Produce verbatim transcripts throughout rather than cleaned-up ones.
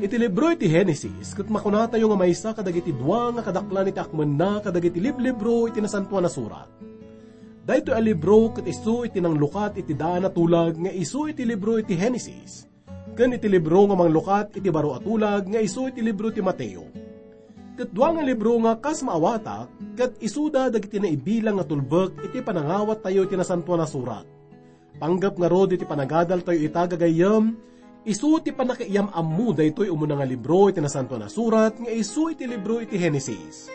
Iti libro iti Genesis, ket makunatayo nga maysa kadagiti dua nga kadaklan iti akmenna kadagiti liblibro iti Nasantoan a Surat. Daytoy a libro ket isu iti nanglukat iti daan a tulag nga isu iti libro iti Genesis, ken iti libro nga manglukat iti baro a tulag nga isu iti libro ti Mateo. Ket dua nga libro nga kas maawatak, ket isuda dagiti naibilang nga tulbek iti panangawattayo iti Nasantoan a Surat. Panggep ngarud iti panagadaltayo ita, gagayyem, isu ti pannakaiyam-ammo daytoy umuna nga libro iti Nasantoan a Surat nga isu iti libro iti Genesis.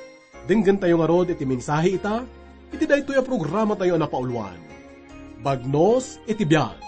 Denggentayo ngarud iti mensahe ita, iti daytoy a programatayo a napauluan, Bagnos iti Biag.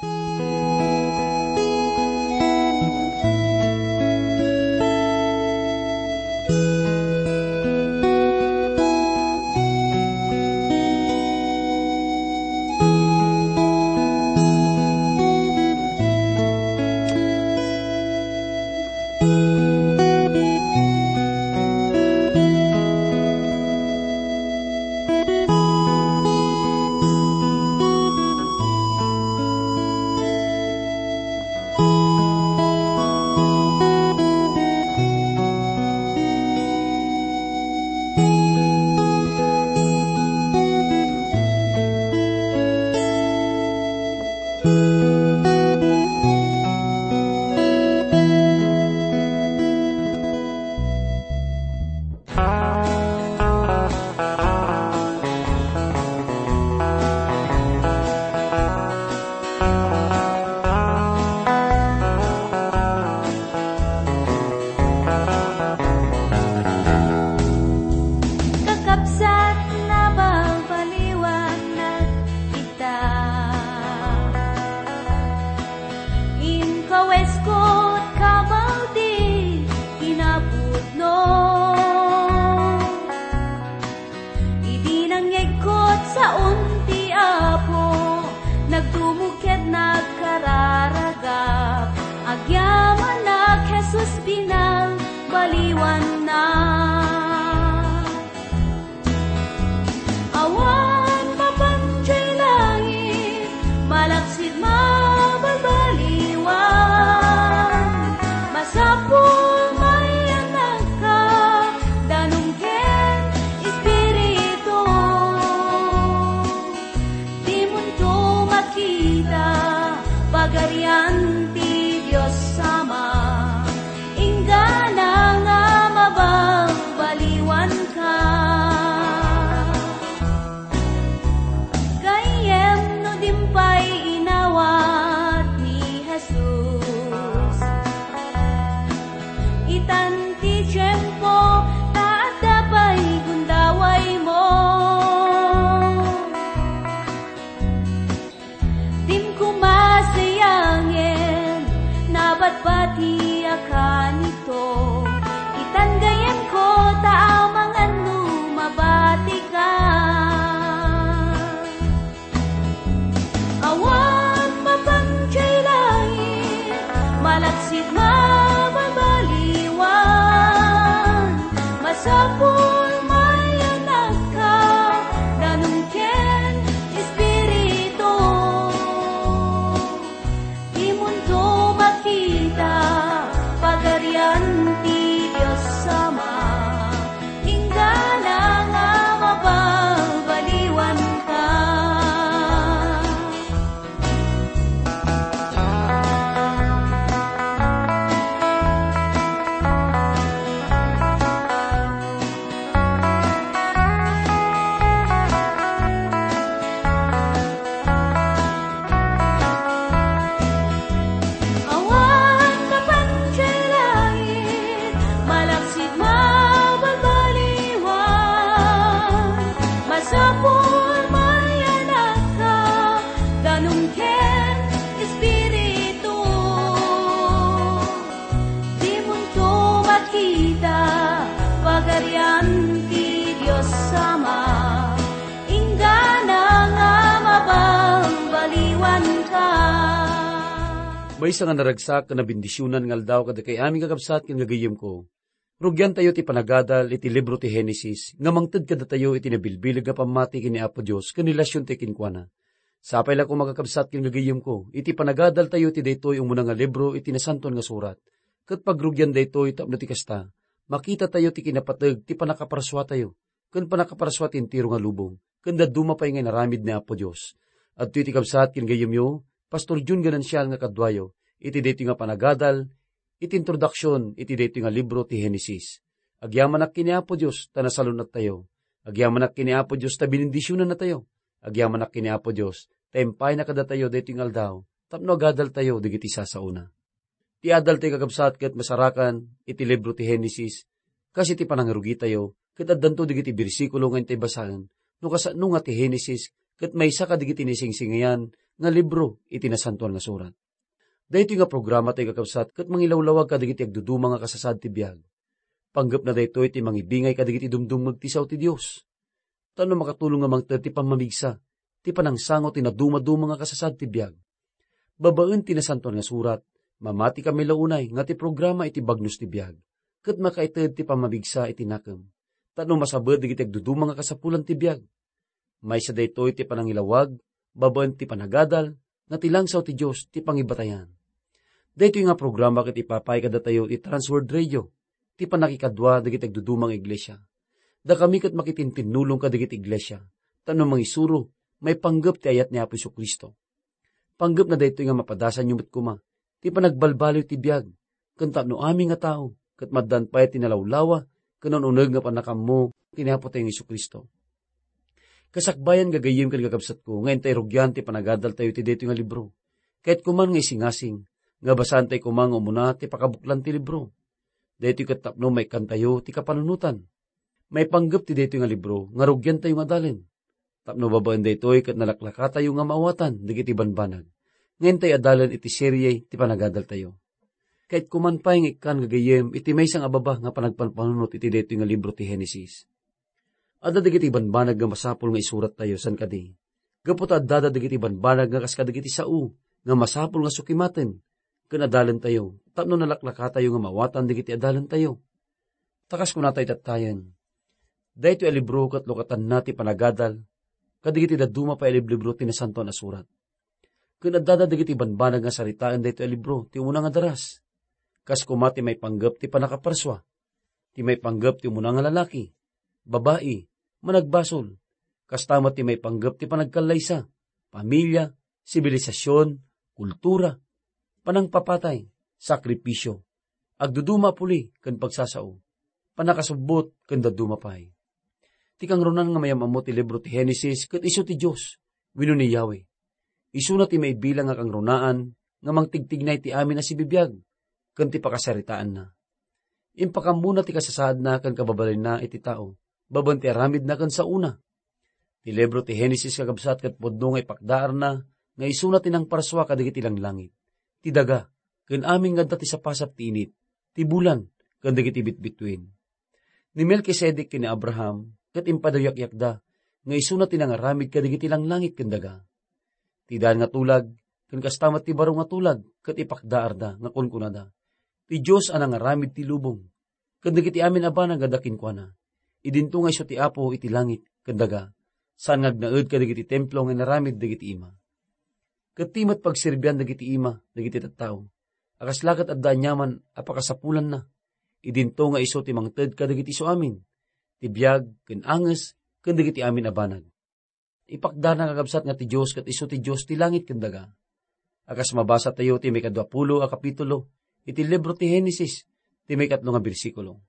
Kakabsat, nabalbaliwan ita. Inkawesko ti kabaw ti kinapudno. Idi nangyegko ti saon ti Apo, nagdumog ket nagkararagak. Agyamanak, Jesus, binalbaliwannak. Awan mapan idiay langit, malaksid mabalbaliwan. Masapul mayanakka, danum ken espiritu. Dimonto makita, Pagarian ti Dios Ama, inggana nga mabalbaliwanka. Gayyem no dimpay inawat ni Jesus, itan ti tiempo ta adda pay gundawaymo. Dim koma sayangen, nabati a kanito. Itan gayyemko ta amangan no mabatika. Awan mapan idiay langit, malaksid mabalbaliwan. Masapul mayanakka, danum ken espiritu. Dimonto makita, Pagarian ti Dios Ama, inggana nga mabalbaliwanka. Awan mapan idiay langit, malaksid mabalbaliwan. Masapul mayanakka, danum ken espiritu. Dimonto makita, Pagarian ti Dios Ama, inggana nga mabalbaliwanka. Maysa nga naragsak ken nabendisionan nga aldaw kadakay amin, kakabsat ken gagayyemko. Rugiantayo ti panagadal iti libro ti Genesis nga mangted kadatayo iti nabilbileg nga pammati ken ni Apo Dios ken relasiontayo kenkuana. Sapay la koma, kakabsat ken gagayyemko, iti panagadaltayo iti daytoy umuna nga libro iti Nasantoan nga Surat. Ket pagrugian daytoy tapno ti kasta, makitatayo ti kinapateg ti pannakaparsuatayo, ken pannakaparsua ti entero nga lubong, ken dadduma pay nga inaramid ni Apo Dios. Adtoy ti kabsat ken gayyemyo, Pastor Jun Ganancial nga kaduayo, iti daytoy nga panagadal, iti introduksion iti daytoy nga libro ti Henesis. Agyamanak ken ni Apo Dios ta nasalun-attayo. Agyamanak ken ni Apo Dios ta benendisionannatayo. Agyamanak ken ni Apo Dios ta impayna kadatayo daytoy nga aldaw tapno agadaltayo dagiti sasaona. Ti adal ti kakabsat ket masarakan iti libro ti Henesis, kas iti panangrugitayo, ket addanto dagiti bersikulo nga intay basaen, no kasano nga ti Henesis ket maysa kadagiti naisingsingayan nga libro iti Nasantoan nga Surat. Daytoy nga programa ti kakabsat ket mangilawlawag kadagiti agduduma nga kasasaad ti biag. Panggepna daytoy ti mangibingay kadagiti dumdumngeg ti sao ti Dios. Tapno makatulong nga mangted ti pammamigsa, ti panangsango ti nadumaduma nga kasasaad ti biag. Babaen ti Nasantoan nga Surat, mamati kami la unay nga ti programa iti bagnos ti biag, ket makaited ti pammamigsa iti nakem. Tapno masabet dagiti agduduma nga kasapulan ti biag. Maysa daytoy ti panangilawag, babaen ti panagadal, nga ti langsaw ti Dios ti pangibatayan. Daytoy nga programa ket ipapay kadatayo ti Transworld Radio, ti pannakikadua dagiti agduduma nga iglesia. Dakami ket makitintinnulong kadagiti iglesia, tapno mangisuro, maipanggep ti ayat ni Apo Jesu-Cristo. Panggepna daytoy nga mapadasanyo met koma ti panagbalbaliw ti biag, ken tapno amin nga tao ket maddan pay ti nalawlawa ken un-uneg nga pannakaammo ken ni Apotayo nga Jesu-Cristo. Kasakbayan, gagayyem ken kakabsatko, nga intay rugian ti panagadaltayo iti daytoy nga libro. Kayatko man nga isingasing nga basaantayo koma nga umuna ti pakabuklan ti libro. Daytoy ket tapno maikkantayo ti kapanunotan. Maipanggep ti daytoy nga libro nga rugiantayo nga adalen. Tapno babaen daytoy ket nalaklakatayo nga maawatan dagiti banbanag nga intay adalen iti serie ti panagadaltayo. Kayatko man pay nga ikkan gagayyem iti maysa nga baba nga panagpanpanunot iti daytoy nga libro ti Henesis. Adda dagiti banbanag nga masapul nga isurattayo, saan kadi? Gapu ta addada dagiti banbanag nga kas kadagiti sao nga masapul nga sukimaten ken adalentayo tapno nalaklakatayo nga maawatan dagiti adalentayo. Ta kas kunatayo tattayen, daytoy a libro ket lukatanna ti panagadal kadagiti dadduma pay a liblibro ti Nasantoan a Surat. Ken addada dagiti banbanag nga saritaen daytoy a libro ti umuna nga daras. Kas koma ti maipanggep ti pannakaparsua, ti maipanggep ti umuna nga lalaki, babai, managbasol, kasta met ti maipanggep ti panagkallaysa, pamilia, sibilisasyon, kultura, panangpapatay, sakripisio, agduduma a puli ken pagsasao, pannakasubbot ken dadduma pay. Ti kangrunaan nga mayam-ammo ti libro ti Henesis ket isu ti Dios, wenno ni Yahweh. Isuna ti maibilang a kangrunaan nga mangtigtignay ti amin a sibibiag ken ti pakasaritaanna. Impakammona ti kasasaadna ken kababalinna iti tao, babaen ti aramidna ken saona. Ti libro ti Henesis, kakabsat, ket pudno nga ipakdaarna nga isuna ti nangparsua kadagiti langlangit, ti daga, ken amin nga adda ti sapasap ti init, ti bulan, ken dagiti bitbituin. Ni Melkisedek ken ni Abraham ket impadayakyakda nga isuna ti nangaramid kadagiti langlangit ken daga. Ti daan nga tulag ken kasta met ti baro nga tulag ket ipakdaarda nga kunkunada, "Ti Dios a nangaramid ti lubong ken dagiti amin a banag a adda kenkuana. Idinto nga isu ti Apo iti langit ken daga, saan nga agnaed kadagiti templo nga inaramid dagiti ima." Ket ti met pagserbian dagiti ima dagiti tattao a kasla ket adda aniaman a pakasapulanna, idinto nga isu ti mangted kadagiti isuamin, ti biag ken anges ken dagiti amin a banag. Ipakdana, kakabsat, nga ti Dios ket isu ti Dios ti langit ken daga. A kas mabasatayo ti maikadua pulo a kapitulo iti libro ti Henesis, ti maikatlo nga bersikulo.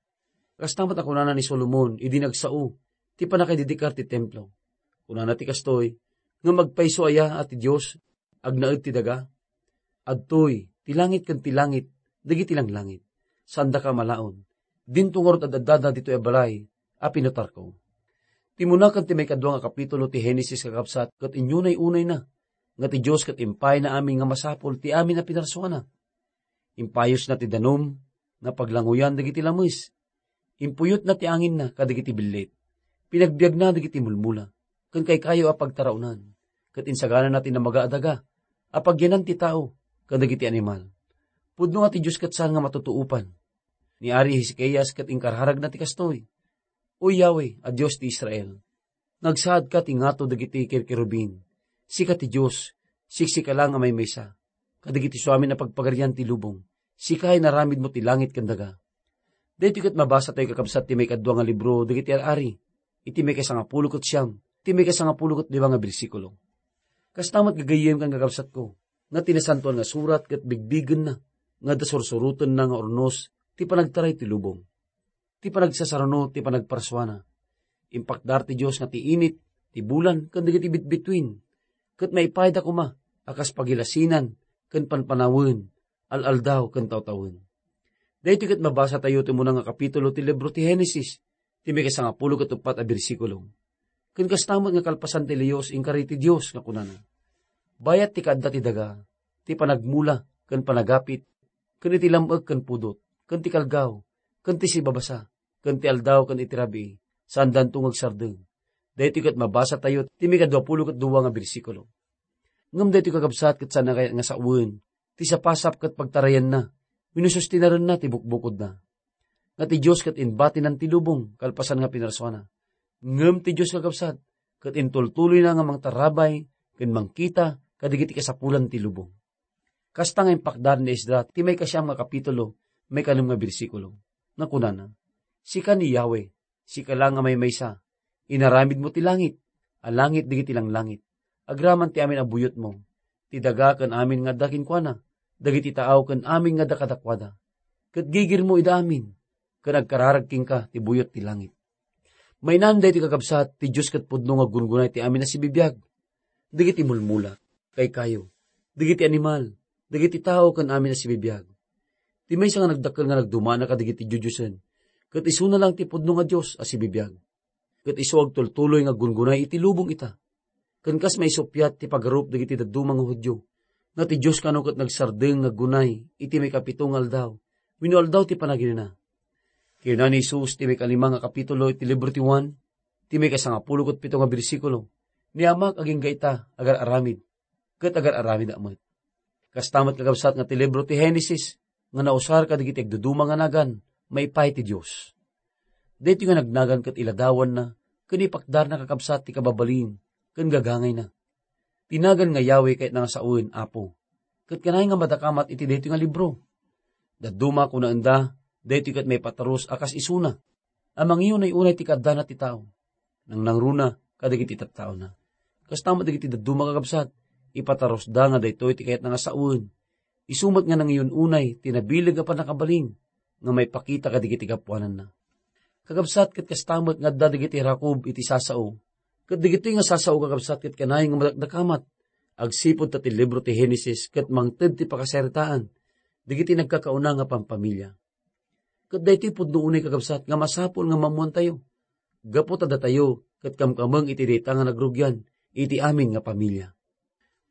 Kasta met a kunana ni Solomon idi nagsao ti pannakaidedikar ti templo. Kunana ti kastoy, "Ngem agpayso aya a ti Dios agnaed ti daga? Adtoy ti langit ken ti langit dagiti langlangit. Saandaka a malaon. Dinto ngarud ad-addada ditoy a balay a pinutarko." Ti umuna ken ti maikadua nga kapitulo ti Henesis, kakabsat, ket inyunay-unayna nga ti Dios ket impayna amin nga masapul ti amin a pinarsuana. Impayosna ti danum nga paglanguyan dagiti lames. Impuyotna ti anginna kadagiti billit. Pinagbiagna dagiti mulmula ken kaykayo a pagtaraonan, ket insaganana ti namaga a daga a pagyanan ti tao ken dagiti animal. Pudno a ti Dios ket saan nga matutuopan. Ni Ari Ezekias ket inkararagna ti kastoy, "O Yahweh a Dios ti Israel, nagsaadka ti ngato dagiti kerkerubin. Sika ti Dios, siksika lang a maymaysa kadagiti suamin a pagpagarian ti lubong. Sika inaramidmo ti langit ken daga. Daytoy ket mabasatayo, kakabsat, ti maikadua nga libro dagiti Ar-ari, iti maikasangapulo ket siam, iti maikasangapulo ket lima nga bersikulo. Kasta met, gagayyem ken kakabsatko, nga ti Nasantoan nga Surat ket bigbigenna nga adda sursurotenna nga urnos ti panagtaray ti lubong, ti panagsasaruno, ti panagparsuana. Impakdar ti Dios nga ti init, ti bulan, ken dagiti bitbituin, ket maipayda koma a kas pagilasinan ken panpanawen, al-aldaw ken tawtawen. Daytoy ket mabasatayo ti umuna nga kapitulo ti libro ti Genesis, ti maikasangapulo ket uppat a bersikulo. Ken kasta met nga kalpasan ti liyos, inkari ti Dios nga kunana, "Bayat ti kaadda ti daga, ti panagmula ken panagapit, ken iti lam-ek ken pudot, ken ti kalgaw, ken ti sibabasa, ken ti aldaw ken iti rabii, saandanto nga agsardeng." Daytoy ket mabasatayo ti maikaduapulo ket dua nga bersikulo. Ngem daytoy, kakabsat, ket saan a kayat nga sawen ti sapasap ket pagtarayanna wenno sustinarenna ti bukbukodna. Nga ti Dios ket inbatinan ti lubong kalpasan nga pinarsuana. Ngem ti Dios, kakabsat, ket intultuloyna nga mangtarabay ken mangkita kadagiti kasapulan ti lubong. Kasta nga impakdar ni Esdra ti maikasiam nga kapitulo, maikanem nga bersikulo, nga kunana, "Sika ni Yahweh, sika la nga maymaysa. Inaramidmo ti langit, a langit dagiti langlangit. Agraman ti amin a buyotmo, ti daga ken amin nga adda kenkuana, dagiti taaw ken amin nga adda kadakuada. Ket gigirmo ida amin, ken agkararag kenka ti buyot ti langit." Mainan daytoy, kakabsat, ti Dios ket pudno nga aggungunay ti amin a sibibiag, dagiti mulmula, kaykayo, dagiti animal, dagiti tao ken amin a sibibiag. Ti maysa nga nagdakkel nga nagdumana kadagiti diodiosen, ket isuna lang ti pudno nga Dios a sibibiag. Ket isu agtultuloy nga aggungunay iti lubong ita. Ken kas maisuppiat ti pagarup dagiti dadduma nga Judio, nga ti Dios kano ket nagsardeng nga aggunay iti maikapito nga aldaw, wenno aldaw ti panaginana. Kinuna ni Jesus ti maikalima nga kapitulo iti libro ti Juan, ti maikasangapulo ket pito nga bersikulo, "Ni Amak agingga ita, agar-aramid, ket agar-aramidak met." Kasta met, kakabsat, nga ti libro ti Genesis nga nausar kadagiti agduduma nga nagan maipaay ti Dios. Daytoy nga nagnagan ket iladawanna ken ipakdarna, kakabsat, ti kababalin ken gagangayna. Ti nagan nga Yahweh kayatna nga sawen Apo. Ket kanayon nga madakamat iti daytoy nga libro. Dadduma, kunaenda, daytoy ket maipaturus a kas isuna, a mangiunay-unay ti kaaddana ti tao, nangnangruna kadagiti tattaona. Kasta met dagiti dadduma, kakabsat, ipaturusda nga daytoy ti kayatna nga sawen. Isu met nga nangiun-unay ti nabileg a pannakabalin nga maipakita kadagiti gapuananna. Kakabsat, ket kasta met nga adda dagiti rakup iti sasao. Ket dagitoy nga sasao, kakabsat, ket kanayon nga madakdakamat, agsipud ta ti libro ti Genesis ket mangted ti pakasaritaan dagiti nagkakauna nga pampamilia. Ket daytoy pudno unay, kakabsat, nga masapul nga maammoantayo, gapu ta datayo ket kamkameng iti dayta nga nagrugian iti amin nga pamilia.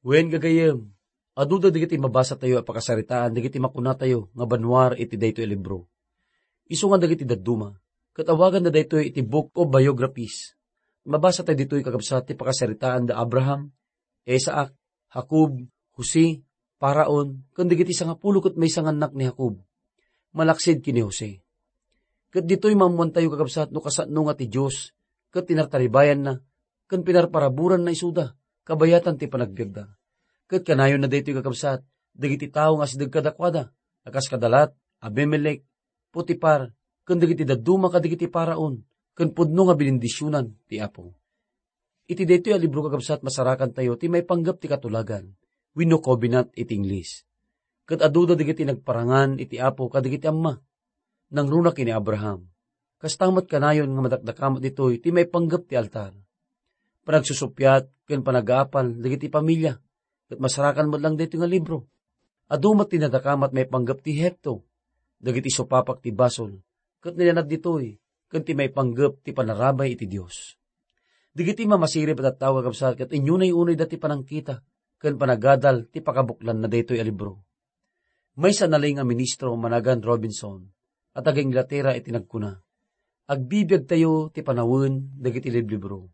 Wen, gagayyem, aduda dagiti mabasatayo a pakasaritaan dagiti makunatayo nga banua iti daytoy a libro. Isu nga dagiti dadduma, ket awaganda daytoy iti Book of Biographies. Mabasatayo ditoy, kakabsat, ti pakasaritaan da Abraham, Isaac, Jacob, Jose, Faraon, ken dagiti sangapulo ket maysa nga annak ni Jacob, malaksid ken ni Jose. Ket ditoy maammoantayo, kakabsat, no kasano nga ti Dios ket tinartaribayanna ken pinarparaburanna isuda kabayatan ti panagbiagda. Ket kanayonna daytoy, kakabsat, dagiti tao nga asideg kadakuada, a kas kada lat, Abimelec, Potifar, ken dagiti dadduma kadagiti Faraon, ken pudno nga binindisionan ti Apo. Iti daytoy a libro, kakabsat, masarakantayo ti maipanggep ti katulagan, wenno covenant iti Ingles. Ket aduda dagiti nagparangan iti Apo kadagiti amma. Nangruna ken ni Abraham. Kasta met kanayon nga madakdakamat ditoy ti maipanggep ti altar, panagsusuppiat ken panagaapal dagiti pamilia, ket masarakan met lang daytoy nga libro. Adu met ti nadakamat maipanggep ti Ehipto, dagiti supapak ti basol, ket nailanaw ditoy, ken ti maipanggep ti panarabay iti Dios. Dagiti mamasirib a tattao, kakabsat, ket inyunay-unayda ti panangkita ken panagadal ti pakabuklanna daytoy a libro. Maysa nalaing a ministro managan Robinson a taga-Inglatera iti nagkuna, "Agbibiagtayo ti panawen dagiti liblibro.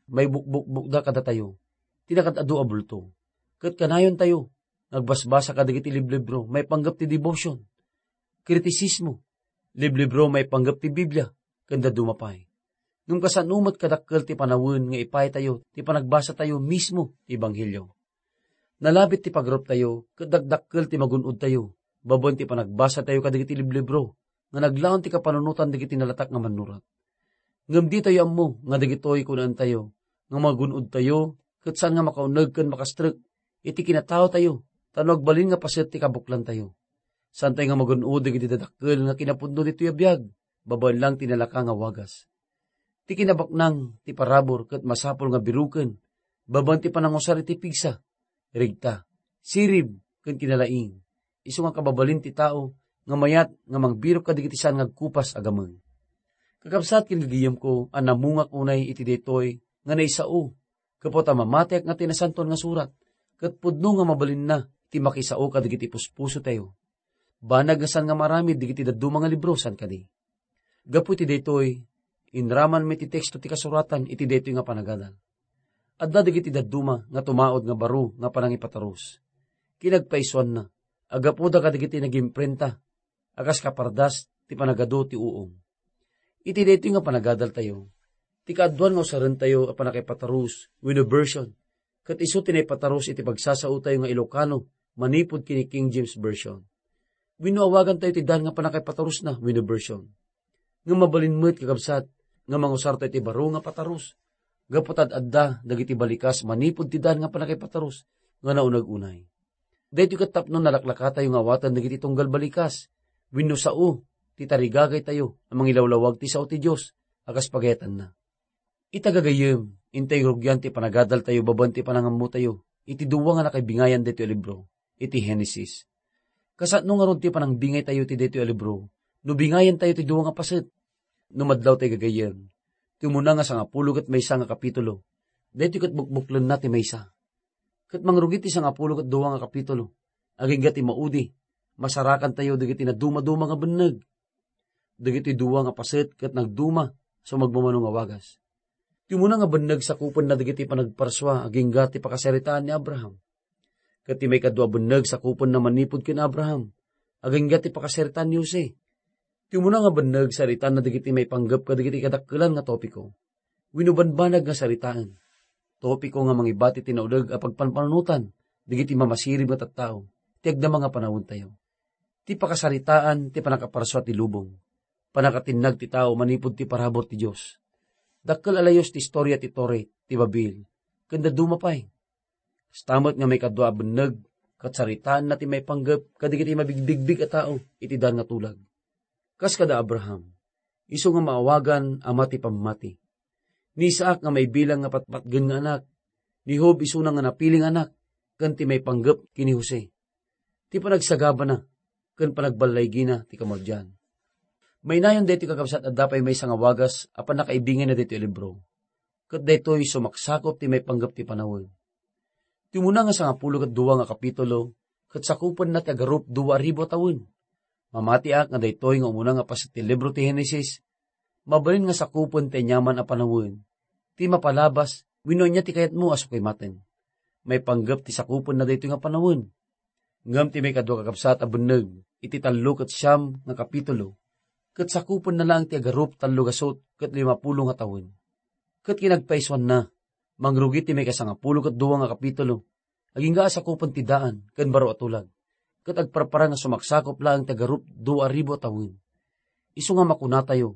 Maibukbukbokda kadatayo ti nakaad-adu a bulto. Ket kanayontayo nga agbasbasa kadagiti liblibro maipanggep ti devotion, kritisismo, liblibro maipanggep ti Biblia, ken dadduma pay. Ngem kasano met kadakkel ti panawen nga ipaytayo ti panagbasatayo mismo ti Ebanghelio? Nalabit ti pagaruptayo ket dakdakkel ti magun-odtayo babaen ti panagbasatayo kadagiti liblibro nga naglaon ti kapanunotan dagiti nalatak nga mannurat. Ngem ditayo ammo nga dagitoy kunaentayo nga magun-odtayo ket saan nga makauneg ken makastrek iti kinataotayo, ta no agbalin nga paset ti kabuklantayo. Saantayo nga magun-od dagiti dadakkel nga kinapudno ditoy a biag, babaen lang ti nalaka nga wagas. Ti kinabaknang ti parabur ket masapul nga biruken, babaen ti panangusar iti pigsa, regta, sirib, ken kinalaing. Isu nga kababalin ti tao nga mayat nga mangbirok kadagiti saan nga agkupas a gameng. Kakabsat ken gagayemko a namungak unay iti daytoy nga naisao, gapu ta mamatiak nga ti Nasantoan nga Surat, ket pudno nga mabalinna ti makisao kadagiti puspusotayo. Banag nga saan nga maaramid dagiti dadduma nga libro, saan kadi? Gapu iti daytoy, inraman met ti teksto ti kasuratan iti daytoy nga panagadal. Adda dagiti dadduma nga tumaud nga baro nga panangipatarus. Kinagpaisuanna, aggapuda kadagiti nagimprenta a kas kapardas ti panagadu ti uong. Iti daytoy nga panagadaltayo, ti kaaduan nga usarentayo a pannakaipatarus wenno version, ket isu ti naipatarus iti pagsasaotayo nga Ilocano manipud ken ni King James Version. Wenno awagantayo ti dan nga pannakaipatarusna wenno version. Ngem mabalin met, kakabsat, nga mangusartayo ti baro nga patarus, gapu ta ad-adda dagiti balikas manipud ti dan nga pannakaipatarus nga nauneg unay. Daytoy ket tapno nalaklakatayo nga awaten dagiti tunggal balikas wenno sao ti tarigagaytayo a mangilawlawag ti sao ti Dios a kas pagayatanna. Ita gagayyem, intay rugian ti panagadaltayo babaen ti panangammotayo iti dua nga nakaibingayan daytoy a libro, iti Genesis. Kasano ngarud ti panangbingaytayo iti daytoy a libro no bingayantayo ti dua nga paset? No madlaw tay gagayyem, ti umuna nga sangapulo ket maysa nga kapitulo, daytoy ket bukbuklenna ti maysa. Ket mangrugi ti sangapulo ket dua nga kapitulo, agingga ti maudi, masarakantayo dagiti nadumaduma nga benneg. Dagiti dua nga paset ket nagduma a sumagmamano nga wagas. Ti umuna nga benneg sakupenna dagiti panagparsua agingga ti pakasaritaan ni Abraham. Ket ti maikadua a benneg sakupenna manipud ken Abraham, agingga ti pakasaritaan ni Jose. Ti umuna nga benneg saritaanna dagiti maipanggep kadagiti kadakkelan nga topiko. Wenno banbanag nga saritaen. Topiko nga mangibati ti nauneg a pagpanpanunotan dagiti mamasirib nga tattao ti agdama nga panawentayo. Ti pakasaritaan ti pannakaparsua ti lubong, pannakatinnag ti tao manipud ti parabur ti Dios. Dakkel a layus ti istoria ti Torre ti Babel, ken dadduma pay. Kasta met nga maikadua a benneg, ket saritaanna ti maipanggep kadagiti mabigbigbig a tao iti dan nga tulag. Kas kada Abraham, isu nga maawagan ama ti pammati. Ni Isaac nga maibilang nga patpatgen nga anak, ni Job isuna nga napili nga anak, ken ti maipanggep ken ni Jose. Ti panagsagabana, ken panagballaygina ti kamardian. Mainayon daytoy, kakabsat, adda pay maysa nga wagas a pannakaibingayna daytoy a libro. Ket daytoy sumaksakup ti maipanggep ti panawen. Ti umuna nga sangapulo ket dua nga kapitulo, ket sakupenna ti agarup dua a ribu a tawen. Mamatiak nga daytoy nga umuna nga paset ti libro ti Genesis, mabalin nga sakupen ti aniaman a panawen, ti mapalabas, wenno ania ti kayatmo a sukimaten. Maipanggep ti sakupenna daytoy nga panawen. Ngem ti maikadua, kakabsat, a benneg iti tallo ket siam nga kapitulo, ket sakupenna laeng ti agarup tallo gasut ket limapulo nga tawen. Ket kinagpaisuanna, mangrugi ti maikasangapulo ket dua nga kapitulo, agingga a sakupen ti daan ken baro a tulag, ket agparpara nga sumaksakup laeng ti agarup dua a ribu a tawen. Isu nga makunatayo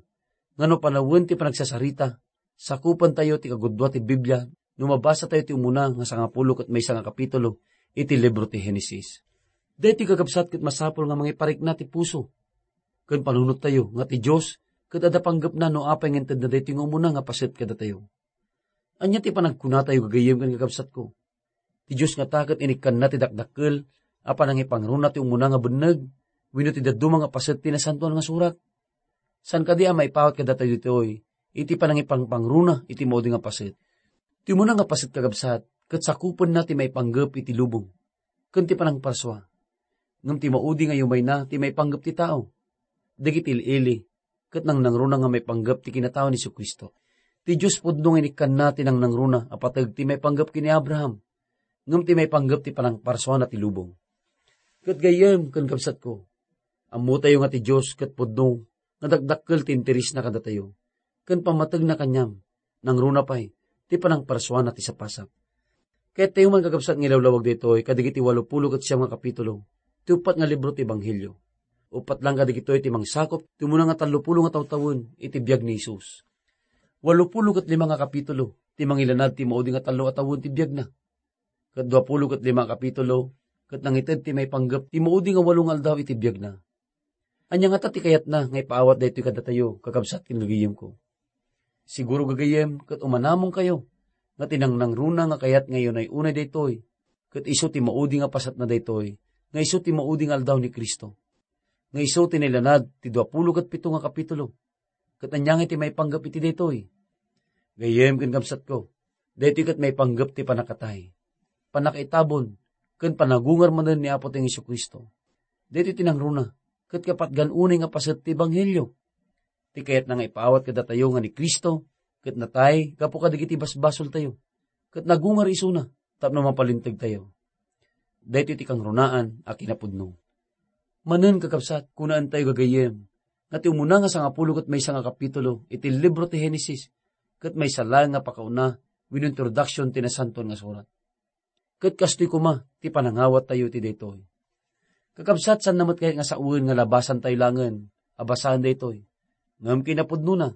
nga no panawen ti panagsasarita, sakupentayo ti kagudua ti Biblia no mabasatayo ti umuna nga sangapulo ket maysa nga kapitulo iti libro ti Genesis. Daytoy, kakabsat, ket masapul nga mangiparikna ti puso ken panunottayo nga ti Dios ket adda panggepna no apay nga intedna daytoy nga umuna nga paset kadatayo. Ania ti panagkunatayo gagayyem ken kakabsatko? Ti Dios ngata ket inikkanna ti dakdakkel a panangipangruna ti umuna nga benneg wenno ti dadduma nga paset ti Nasantoan nga Surat. Saan kadi a maipawat kadatayo ditoy iti panangipangpangruna iti maudi nga paset. Ti umuna nga paset, kakabsat, ket sakupenna ti maipanggep iti lubong ken ti panangparsua. Ngem ti maudi nga yumayna ti maipanggep ti tao. Dagiti il-ili ket nangnangruna nga maipanggep ti kinatao ni Jesu-Cristo. Ti Dios pudno nga inikkanna ti nangnangruna a pateg ti maipanggep ken ni Abraham, ngem ti maipanggep ti panangparsuana ti lubong. Ket gayyem ken kabsatko, ammotayo nga ti Dios ket pudno nga dakdakkel ti interesna kadatayo, ken pammategna kaniam, nangruna pay ti panangparsuana ti sapasap. Kayattayo man, kakabsat, nga ilawlawag daytoy kadagiti walopulo ket siam nga kapitulo, ti uppat nga libro ti Ebanghelio. Uppat lang kadagitoy ti mangsakop ti umuna nga tallopulo nga tawtawen iti biag ni Jesus. Walopulo ket lima nga kapitulo ti mangilanad ti maudi nga tallo a tawen ti biagna. Ket duapulo ket lima a kapitulo ket nangited ti maipanggep ti maudi nga walo nga aldaw iti biagna. Ania ngata ti kayatna nga ipaawat daytoy kadatayo, kakabsat ken gagayemko? Siguro gagayem ket umanamonkayo nga ti nangnangruna nga kayat nga iunay-unay daytoy, ket isu ti maudi nga pasatna daytoy, nga isu ti maudi nga aldaw ni Cristo, nga isu ti nailanad ti duapulo ket pito nga kapitulo. Ket ania ngay ti maipanggep iti daytoy? Gayyem ken kabsatko, daytoy ket maipanggep ti pannakatay, pannakaitabon, ken panagungar manen ni Apotayo Jesu-Cristo. Daytoy ti nangruna ket kapatgan unay nga paset ti ebanghelio. Ti kayatna nga ipaawat kadatayo nga ni Cristo ket natay gapu kadagiti basbasoltayo, ket nagungar isuna tapno mapalintegtayo. Daytoy ti kangrunaan a kinapudno. Manen, kakabsat, kunaentayo gagayyem nga ti umuna nga sangapulo ket maysa nga kapitulo iti libro ti Genesis ket maysa laeng nga pakauna wenno introduction ti Nasantoan nga Surat. Ket kastoy koma ti panangawattayo iti daytoy. Kakabsat, saan na met kayat nga sawen nga labasantayo laengen a basaen daytoy. Ngem kinapudnona,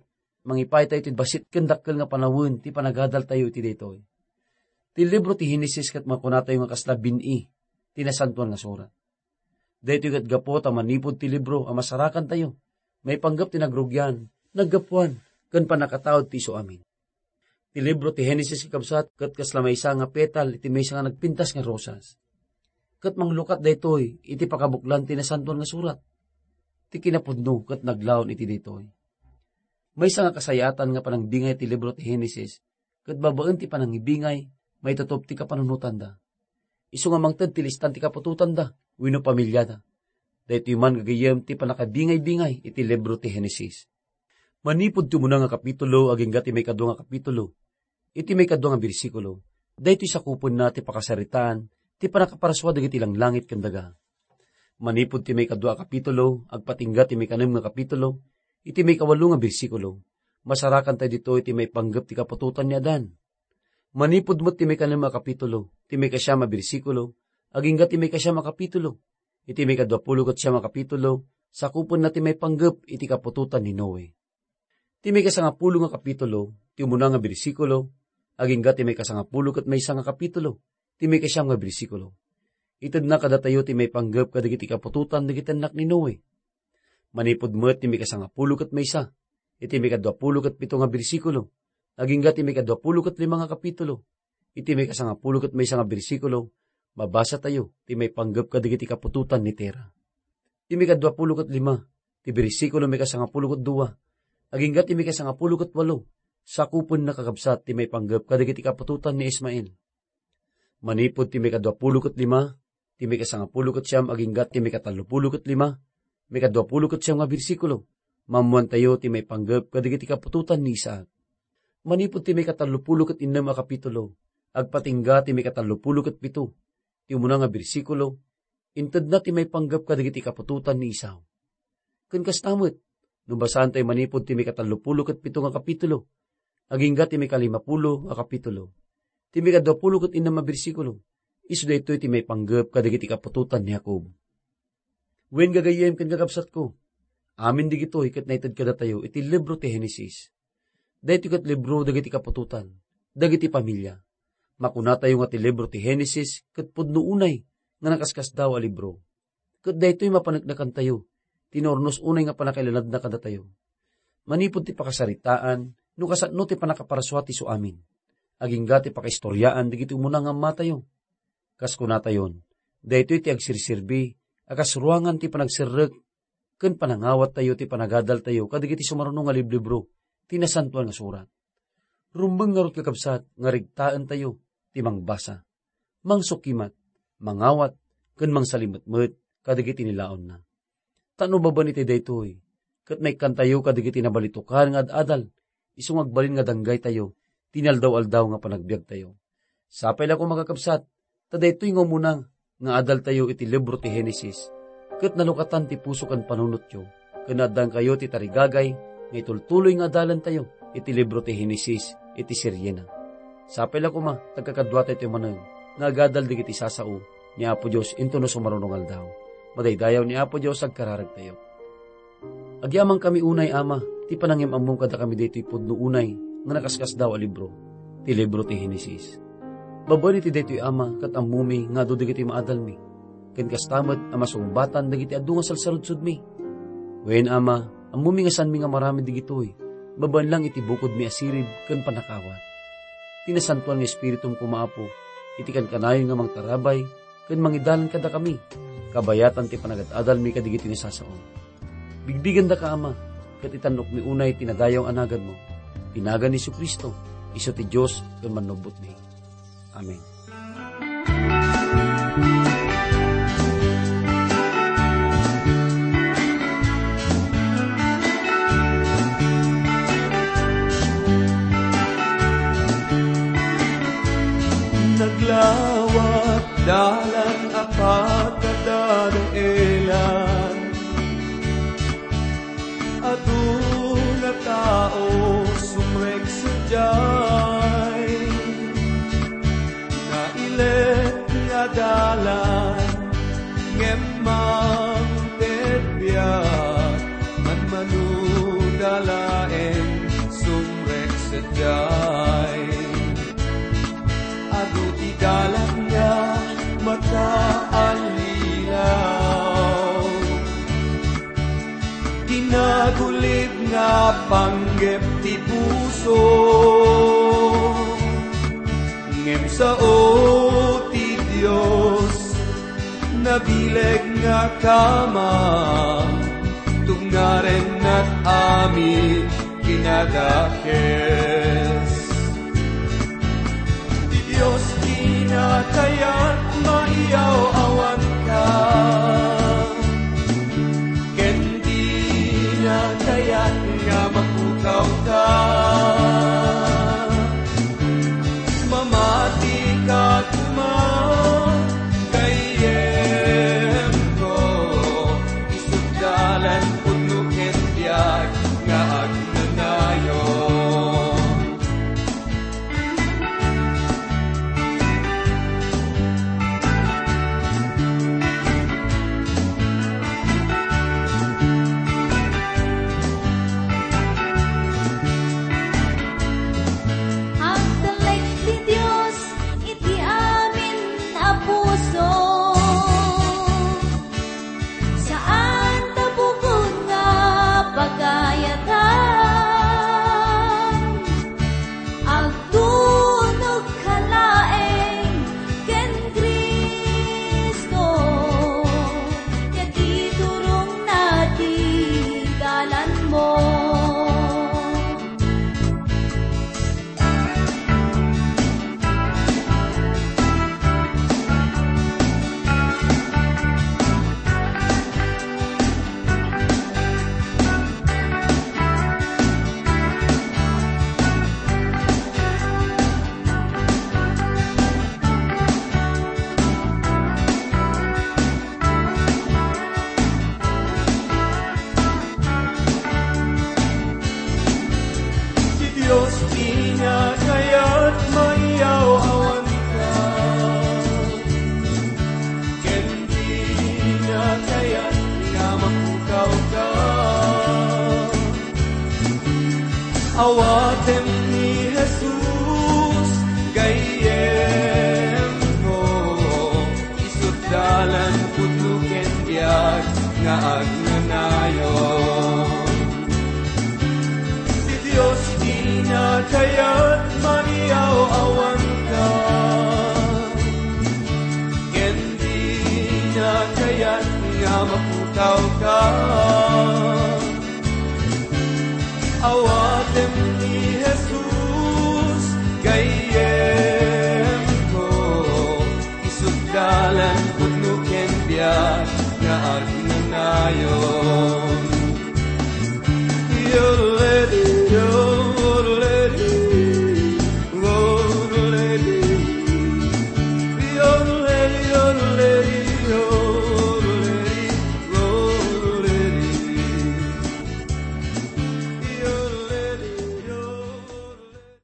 mangipaytayo ti bassit ken dakkel nga panawen ti panagadaltayo iti daytoy. Ti libro ti Genesis ket makunatayo nga kasla bin-i ti Nasantoan nga Surat. Daytoy ket gapu ta manipud ti libro a masarakantayo, maipanggep ti nagrugian, naggapuan, ken pannakataud ti isu amin. Ti libro ti Genesis, kakabsat, ket kasla maysa nga petal iti maysa nga nagpintas nga rosas. Ket manglukat daytoy iti pakabuklan ti Nasantoan nga Surat. Ti kinapudno ket naglaon iti daytoy. Maysa nga kasayaatan nga panangbingay ti libro ti Genesis, ket babaen ti panangibingay, maitutop ti kapanunotanda. Isu nga mangted ti listan ti kaputotanda wenno pamiliada. Daytoy man gagayyem ti pannakabingay-bingay iti libro ti Genesis. Manipud ti umuna nga kapitulo agingga ti maikadua nga kapitulo, iti maikadua nga bersikulo, daytoy sakupenna ti pakasaritaan ti pannakaparsua dagiti langlangit ken daga. Manipud ti maikadua a kapitulo agpatingga ti maikanem nga kapitulo, iti maikawalo nga bersikulo, masarakantayo ditoy ti maipanggep ti kaputotan ni Adan. Manipud met ti maikanem a kapitulo, ti maikasiam a bersikulo, agingga ti maikasiam a kapitulo, iti maikaduapulo ket siam a kapitulo, sakupenna ti maipanggep iti kaputotan ni Noe. Ti maikasangapulo nga kapitulo, ti umuna nga bersikulo, agingga ti maikasangapulo ket maysa nga kapitulo, ti maikasiam nga bersikulo. Itedna kadatayo ti maipanggep kadagiti kaputotan dagiti annak ni Noe. Manipud met ti maikasangapulo ket maysa, iti maikaduapulo ket pito nga bersikulo, agingga ti maikaduapulo ket lima nga kapitulo, iti maikasangapulo ket maysa nga bersikulo, mabasatayo ti maipanggep kadagiti kaputotan ni Tera. Ti maikaduapulo ket lima, ti bersikulo maikasangapulo ket dua, agingga ti maikasangapulo ket walo, sakupenna, kakabsat, ti maipanggep kadagiti kaputotan ni Ismael. Manipud ti maikaduapulo ket lima, ti maikasangapulo ket siam agingga ti maikatallopulo ket lima, maikaduapulo ket siam nga bersikulo, maammoantayo ti maipanggep kadagiti kaputotan ni Isaac. Manipud ti maikatallopulo ket innem a kapitulo, agpatingga ti maikatallopulo ket pito, ti umuna nga bersikulo, intedna ti maipanggep kadagiti kaputotan ni Esau. Ken kasta met, no basaantayo manipud ti maikatallopulo ket pito nga kapitulo, agingga ti maikalimapulo nga kapitulo, ti maikaduapulo ket innem a bersikulo, isu daytoy ti maipanggep kadagiti kaputotan ni Jacob. Wen, gagayyem ken kakabsatko, amin digitoy ket naited kadatayo iti libro ti Genesis. Daytoy ket libro dagiti kaputotan, dagiti pamilia. Makunatayo nga ti libro ti Genesis ket pudno unay nga nakaskasdaaw a libro. Ket daytoy mapaneknekantayo ti naurnos unay nga pannakailanadna kadatayo. Manipud ti pakasaritaan, no kasano ti pannakaparsua ti isu amin, agingga ti pakaistoriaan dagiti umuna nga ammatayo. Kas kunatayon, daytoy ti agserserbi a kas ruangan ti panagserrek ken panangawattayo ti panagadaltayo kadagiti sumaruno nga liblibro ti Nasantoan nga Surat. Rumbeng ngarud, kakabsat, nga regtaentayo ti mangbasa, mangsukimat, mangawat, ken mangsalimetmet kadagiti nilaonna. Ta no babaen iti daytoy, ket maikkantayo kadagiti nabalitokan nga ad-adal, isu nga agbalin nga danggaytayo ti inaldaw-aldaw nga panagbiagtayo. Sapay la koma, kakabsat, ta daytoy nga umuna nga adaltayo iti libro ti Genesis, ket nalukatan ti puso ken panunotyo, ken addankayo ti tarigagay nga itultuloy nga adalentayo iti libro ti Genesis iti seriena. Sapay la koma, ta agkakaduatayo ti manen nga agadal dagiti sasao ni Apo Dios intono sumaruno nga aldaw. Madaydayaw ni Apo Dios agkararagtayo. Agyamankami unay, Ama, ti panangim-ammom kadakami daytoy pudno unay nga nakaskasdaaw a libro, ti libro ti Genesis. Babaen iti daytoy, Ama, ket ammomi nga adu dagiti maadalmi, ken kasta met a masungbatan dagiti adu nga sarsarudsodmi. Wen, Ama, ammomi nga saanmi nga maramid dagitoy, babaen lang iti bukodmi a sirib ken pannakawat. Ti Nasantoan nga Espiritum koma, Apo, iti kankanayon nga mangtarabay ken mangidalan kadakami, kabayatan ti panagad-adalmi kadagiti nasasaom. Bigbigandaka, Ama, ket itannokmi unay ti nadayaw a naganmo. Ti nagan ni Jesu-Cristo, isu ti Dios ken Mannubbotmi. Amen. Naglawat dalan a pagkadadaelan. Adu nga tao sumrek sadiay. Nailet nga dalan, ngem mangted biag, manmanuda laeng sumrek sadiay. Adu ti dalan nga makaallilaw. Ti nagulib nga panggep ti puso, ngem sao ti Dios. Nabileg nga kamang, tungaren nag-amin kinadakes. Ti Dios dina kayat maiyaw-awanka, ken dina kayat nga mapukawka. Mamati ka koma, gayyemko, isut dalan pudno ken biag nga agnanayon. Agtalek ti Dios iti amin a puso. Saan ta bukod nga pagayatan. Agtunogka laeng ken Cristo, ket iturongna ti dalanmo. Ti Dios dina kayat maiyaw-awanka, ken dina kayat nga mapukawka. Awatem ni Jesus, gayyemko, isut dalan pudno ken biag nga agnanayon. Ti Dios dina kayat maiyaw